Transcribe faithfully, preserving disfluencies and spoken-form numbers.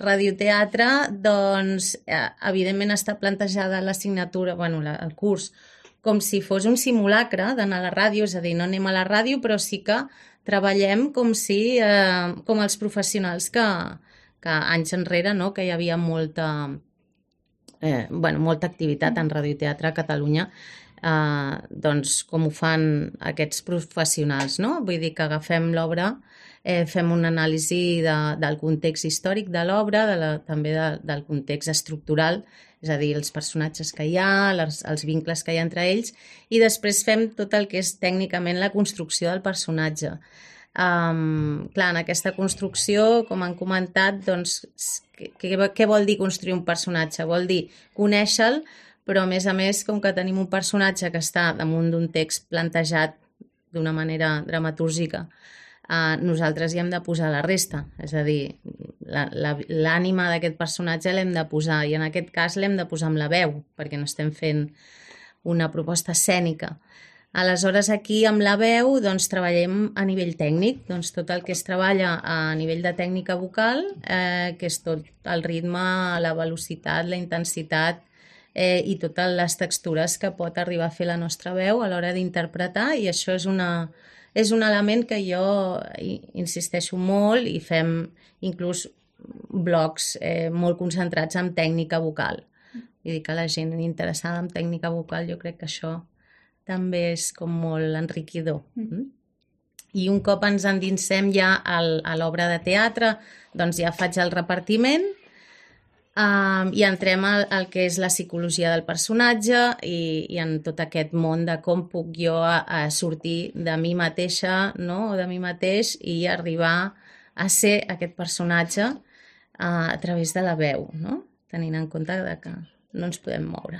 radioteatre, doncs, eh, evidentment està plantejada l'assignatura, bueno, la, el curs, com si fos un simulacre d'anar a la ràdio, és a dir, no anem a la ràdio, però sí que treballem com si, eh, com els professionals que, que anys enrere, no?, que hi havia molta, eh, bueno, molta activitat en radioteatre a Catalunya, eh, doncs com ho fan aquests professionals, no? Vull dir que agafem l'obra, eh, fem una anàlisi de, del context històric de l'obra, de la, també de, del context estructural, és a dir, els personatges que hi ha, les, els vincles que hi ha entre ells, i després fem tot el que és tècnicament la construcció del personatge. Um, clar, en aquesta construcció, com han comentat, doncs, què, què vol dir construir un personatge? Vol dir conèixer-lo, però a més a més, com que tenim un personatge que està damunt d'un text plantejat d'una manera dramatúrgica, eh, nosaltres hi hem de posar la resta, és a dir, l'ànima d'aquest personatge l'hem de posar, i en aquest cas l'hem de posar amb la veu, perquè no estem fent una proposta escènica. Aleshores, aquí amb la veu doncs, treballem a nivell tècnic, doncs, tot el que es treballa a nivell de tècnica vocal, eh, que és tot el ritme, la velocitat, la intensitat, Eh, i totes les textures que pot arribar a fer la nostra veu a l'hora d'interpretar, i això és, una, és un element que jo insisteixo molt, i fem inclús blogs eh, molt concentrats en tècnica vocal. Vull dir que la gent interessada en tècnica vocal, jo crec que això també és com molt enriquidor. Mm. I un cop ens endinsem ja al, a l'obra de teatre, doncs ja faig el repartiment, Uh, i entrem al, al que és la psicologia del personatge i, i en tot aquest món de com puc jo a, a sortir de mi mateixa, no?, o de mi mateix, i arribar a ser aquest personatge uh, a través de la veu, no?, tenint en compte que no ens podem moure.